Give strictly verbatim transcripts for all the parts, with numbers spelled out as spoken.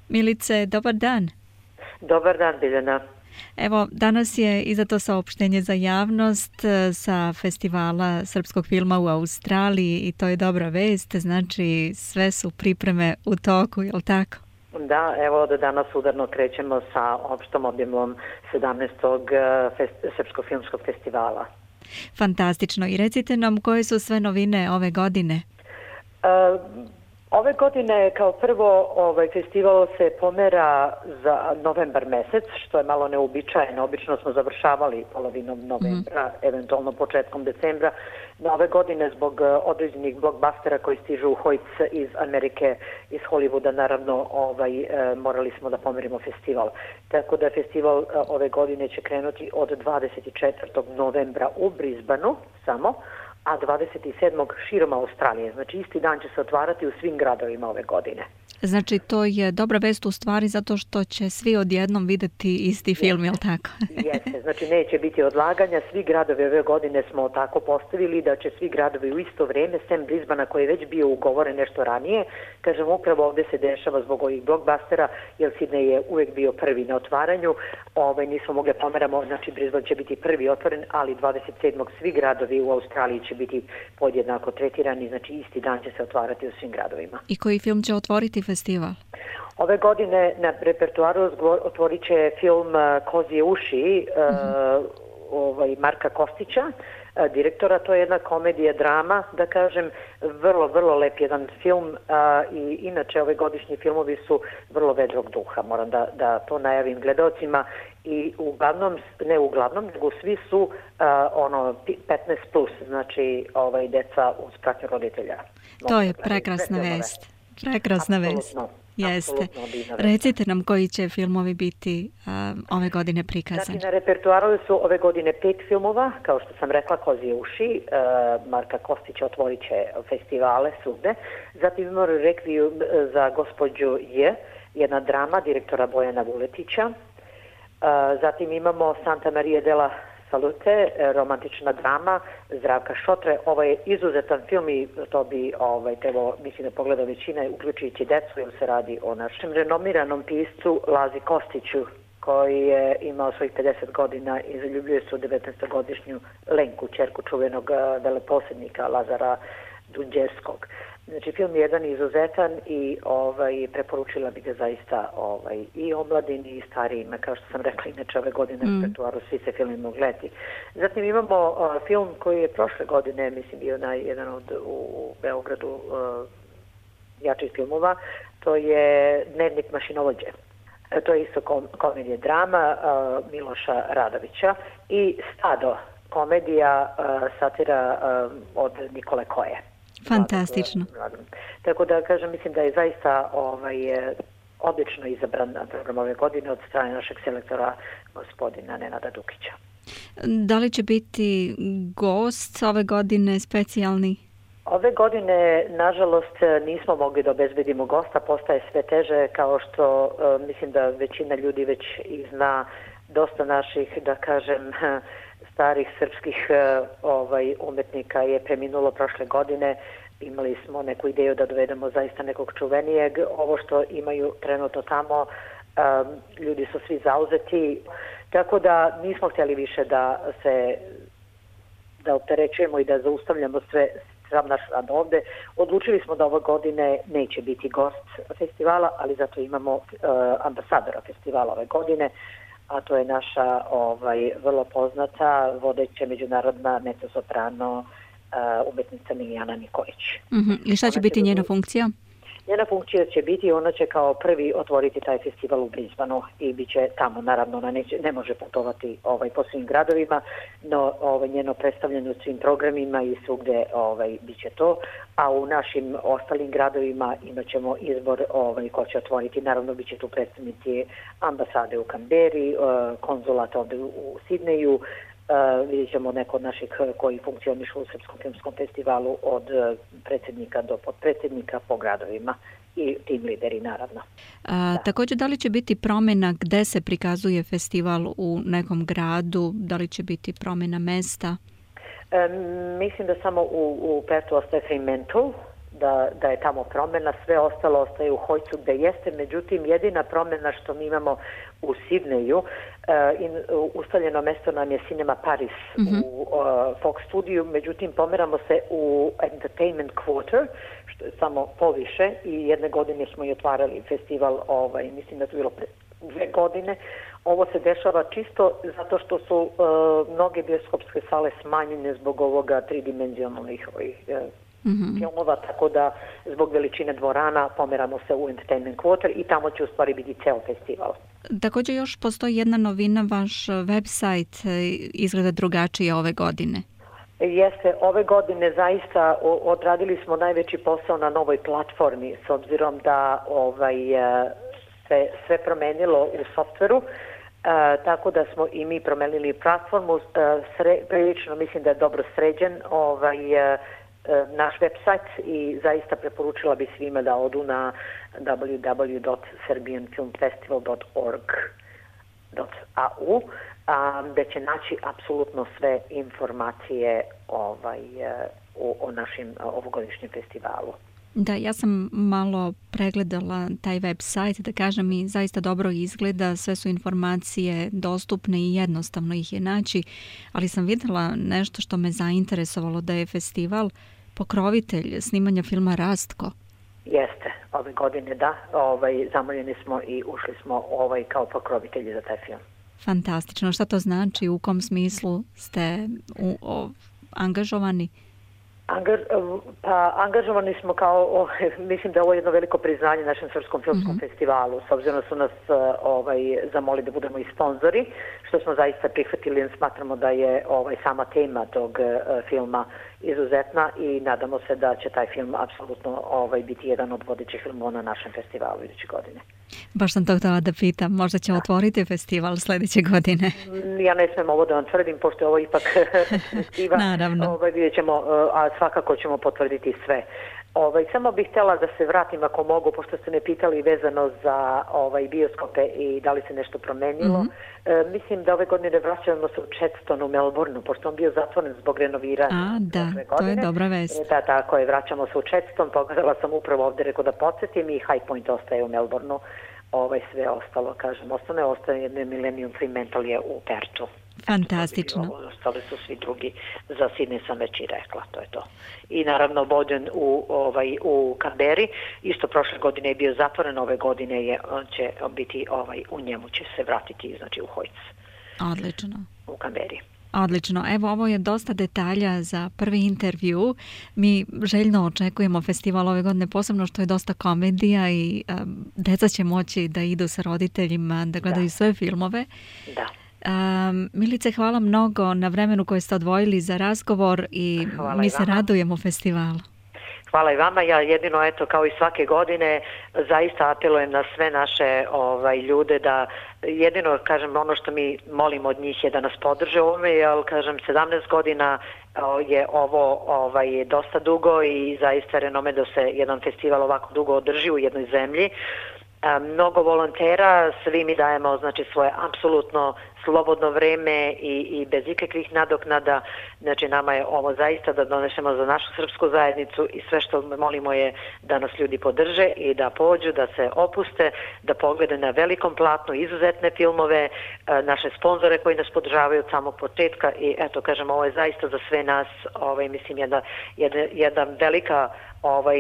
Milice, dobar dan. Dobar dan, Biljana. Evo, danas je izdato saopštenje za javnost sa festivala srpskog filma u Australiji i to je dobra vest, znači sve su pripreme u toku, je li tako? Da, evo da danas udarno krećemo sa opštom objemom sedamnaestog Fest- Srpskog filmskog festivala. Fantastično. I recite nam koje su sve novine ove godine? Uh, Ove godine kao prvo ovaj festival se pomera za novembar mesec, što je malo neuobičajeno. Obično smo završavali polovinom novembra, mm. eventualno početkom decembra. Na ove godine zbog određenih blockbustera koji stižu u hojc iz Amerike, iz Hollywooda, naravno ovaj, e, morali smo da pomerimo festival. Tako da festival e, ove godine će krenuti od dvadeset četvrtog novembra u Brisbaneu samo, a dvadeset sedmog širom Australije. Znači isti dan će se otvarati u svim gradovima ove godine. Znači to je dobra vest u stvari zato što će svi odjednom videti isti film, je li tako? Jeste, znači neće biti odlaganja. Svi gradovi ove godine smo tako postavili da će svi gradovi u isto vrijeme, sem Brisbanea koji je već bio ugovoren nešto ranije. Kažem, upravo ovdje se dešava zbog ovih blockbustera, jer Sydney je uvijek bio prvi na otvaranju. Ove, nismo mogli pomeramo, znači Brisbane će biti prvi otvoren, ali dvadeset sedmog svi gradovi u Australiji će biti podjednako tretirani, znači isti dan će se otvarati u svim gradovima. I koji film će otvoriti festival? Ove godine na repertuaru otvorit će film Kozije uši uh-huh. uh, ovaj, Marka Kostića, uh, direktora. To je jedna komedija, drama, da kažem, vrlo, vrlo lep jedan film uh, i inače ove godišnji filmovi su vrlo vedrog duha, moram da, da to najavim gledalcima i uglavnom, ne uglavnom, nego svi su uh, ono petnaest plus, znači ovaj, deca uz pratnju roditelja. To je prekrasna vest. Prekrasna vest. Jeste. Recite nam koji će filmovi biti um, ove godine prikazani. Znači, na repertuaru su ove godine pet filmova, kao što sam rekla, Kozije uši, uh, Marka Kostića otvorit će festivale svugde. Zatim imamo Rekviju za gospođu J, jedna drama direktora Bojana Vuletića. Uh, zatim imamo Santa Maria della Salute, romantična drama Zdravka Šotre. Ovo je izuzetan film i to bi ovaj, trebalo, mislim da pogleda većina, uključujući decu, jer se radi o našem renomiranom piscu Lazi Kostiću, koji je imao svojih pedeset godina i zaljubljuje se u devetnaestogodišnju Lenku, ćerku čuvenog veleposjednika Lazara Dunđerskog. Znači, film je jedan izuzetan i ovaj, preporučila bi ga zaista ovaj, i omladini i starijima, kao što sam rekla, inače ove godine mm. u repertuaru svi se filmi mogu gledati. Zatim imamo uh, film koji je prošle godine, mislim, bio na jedan od u Beogradu uh, jačih filmova, to je Dnevnik mašinovođe. E, to je isto kom, komedija drama uh, Miloša Radovića i Stado, komedija uh, satira uh, od Nikole Koje. Fantastično. Tako da kažem, mislim da je zaista ovaj, odlično izabran program ove godine od strane našeg selektora gospodina Nenada Dukića. Da li će biti gost ove godine specijalni? Ove godine, nažalost, nismo mogli da obezbedimo gosta, postaje sve teže, kao što mislim da većina ljudi već i zna, dosta naših, da kažem, starih srpskih ovaj, umetnika je preminulo prošle godine. Imali smo neku ideju da dovedemo zaista nekog čuvenijeg. Ovo što imaju trenutno tamo, um, ljudi su svi zauzeti, tako da nismo htjeli više da se da opterećujemo i da zaustavljamo sve sam naš rad ovde. Odlučili smo da ove godine neće biti gost festivala, ali zato imamo uh, ambasadora festivala ove godine, a to je naša ovaj, vrlo poznata vodeća međunarodna mezzosoprano uh, umetnica Milijana Nikolić. Mm-hmm. I šta će ona biti će njena biti... funkcija? Njena funkcija će biti, ona će kao prvi otvoriti taj festival u Brisbaneu i bit će tamo, naravno, ona neće, ne može putovati ovaj, po svim gradovima, no ovaj, njeno predstavljanje u svim programima i svugde ovaj, bit će to, a u našim ostalim gradovima imat ćemo izbor ovaj, ko će otvoriti, naravno bit će tu predstavnici ambasade u Kamberi, konzulata ovde u Sidneju, Uh, vidjet ćemo neko od naših koji funkcionišu u Srpskom filmskom festivalu od uh, predsjednika do podpredsjednika po gradovima i tim lideri naravno. A, također, da li će biti promjena gde se prikazuje festival u nekom gradu, da li će biti promjena mesta? Um, mislim da samo u, u Pertu ostaje Fremantle, da, da je tamo promjena, sve ostalo ostaje u Hojcu gde jeste, međutim jedina promjena što mi imamo u Sidneju, uh, in, uh, ustaljeno mesto nam je Cinema Paris mm-hmm. u uh, Fox studiju, međutim pomeramo se u Entertainment Quarter, što je samo poviše, i jedne godine smo i otvarali festival, ovaj, mislim da to bilo pre dve godine. Ovo se dešava čisto zato što su uh, mnoge bioskopske sale smanjene zbog ovoga tridimenzionalnih ovih uh, mm-hmm. filmova, tako da zbog veličine dvorana pomeramo se u Entertainment Quarter i tamo će u stvari biti ceo festival. Također još postoji jedna novina, vaš website izgleda drugačije ove godine. Jeste, ove godine zaista odradili smo najveći posao na novoj platformi, s obzirom da ovaj, se sve promenilo u softveru, tako da smo i mi promenili platformu. Sre, prilično mislim da je dobro sređen ovaj, naš website i zaista preporučila bi svima da odu na w w w dot serbian film festival dot org dot a u gde će naći apsolutno sve informacije ovaj, o, o našem ovogodišnjem festivalu. Da, ja sam malo pregledala taj website, da kažem, i zaista dobro izgleda, sve su informacije dostupne i jednostavno ih je naći, ali sam vidjela nešto što me zainteresovalo, da je festival pokrovitelj snimanja filma Rastko. Jeste, ove godine da, ovaj, zamoljeni smo i ušli smo ovaj, kao pokrovitelji za taj film. Fantastično, šta to znači, u kom smislu ste u, o, angažovani? Angaž, pa angažovani smo kao, o, mislim da je ovo jedno veliko priznanje našem Srpskom filmskom mm-hmm. festivalu, s obzirom da su nas ovaj, zamoli da budemo i sponzori, što smo zaista prihvatili, jer smatramo da je ovaj, sama tema tog uh, filma izuzetna i nadamo se da će taj film apsolutno ovaj, biti jedan od vodećih filmova na našem festivalu iduće godine. Baš sam to htjela da pitam, možda će otvoriti festival sljedeće godine. Ja ne smijem ovo da vam tvrdim, pošto je ovo ipak festival. Naravno. Ovaj, vidjet ćemo, a svakako ćemo potvrditi sve. Ovaj, samo bih htjela da se vratim ako mogu, pošto ste me pitali vezano za ovaj, bioskope i da li se nešto promenilo. Mm-hmm. E, mislim da ove godine vraćamo se u Chadston u Melbourneu, pošto on bio zatvoren zbog renoviranja. A, da, to je dobra vest. E, da, tako je, vraćamo se u Chadston, pogledala sam upravo ovdje, rekao da podsjetim, i High Point ostaje u Melbourneu. Ovaj, sve ostalo, kažem, ostane, ostaje jedno Millennium Fremantle je u Pertu. Fantastično. Ostali su svi drugi, za Sidney sam već i rekla, to je to. I naravno Boden u, ovaj, u Canberri, isto prošle godine je bio zatvoren, ove godine je, on će biti, ovaj, u njemu će se vratiti, znači u Hojc. Odlično. U Canberri. Odlično. Evo, ovo je dosta detalja za prvi intervju. Mi željno očekujemo festival ove godine, posebno što je dosta komedija i um, deca će moći da idu sa roditeljima, da gledaju da. sve filmove. Da. Um, Milice, hvala mnogo na vremenu koje ste odvojili za razgovor i hvala mi i se radujemo festivalu. Hvala i vama. Ja jedino, eto, kao i svake godine, zaista apelujem na sve naše ovaj, ljude da jedino, kažem, ono što mi molimo od njih je da nas podrže u ovome, jer, kažem, sedamnaest godina je ovo ovaj, dosta dugo i zaista renome da se jedan festival ovako dugo održi u jednoj zemlji. Mnogo volontera, svi mi dajemo, znači, svoje apsolutno slobodno vreme i, i bez ikakvih nadoknada. Znači, nama je ovo zaista da donesemo za našu srpsku zajednicu i sve što molimo je da nas ljudi podrže i da pođu, da se opuste, da poglede na velikom platnu izuzetne filmove, naše sponzore koji nas podržavaju od samog početka i eto, kažem, ovo je zaista za sve nas, ovaj, mislim, jedna, jedna, jedna velika ovaj,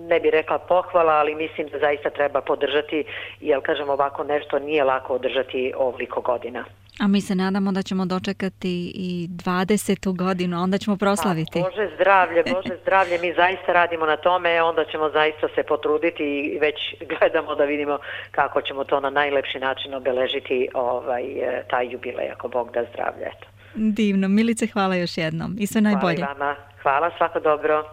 ne bi rekla pohvala, ali mislim da zaista treba podržati, jer, kažem, ovako nešto nije lako održati ovoliko godina. A mi se nadamo da ćemo dočekati i dvadesetu godinu, onda ćemo proslaviti. Pa, Bože zdravlje, Bože zdravlje, mi zaista radimo na tome, onda ćemo zaista se potruditi i već gledamo da vidimo kako ćemo to na najlepši način obeležiti ovaj, taj jubilej, ako Bog da zdravlje. Eto. Divno. Milice, hvala još jednom i sve najbolje. Hvala i vama. Hvala, svako dobro.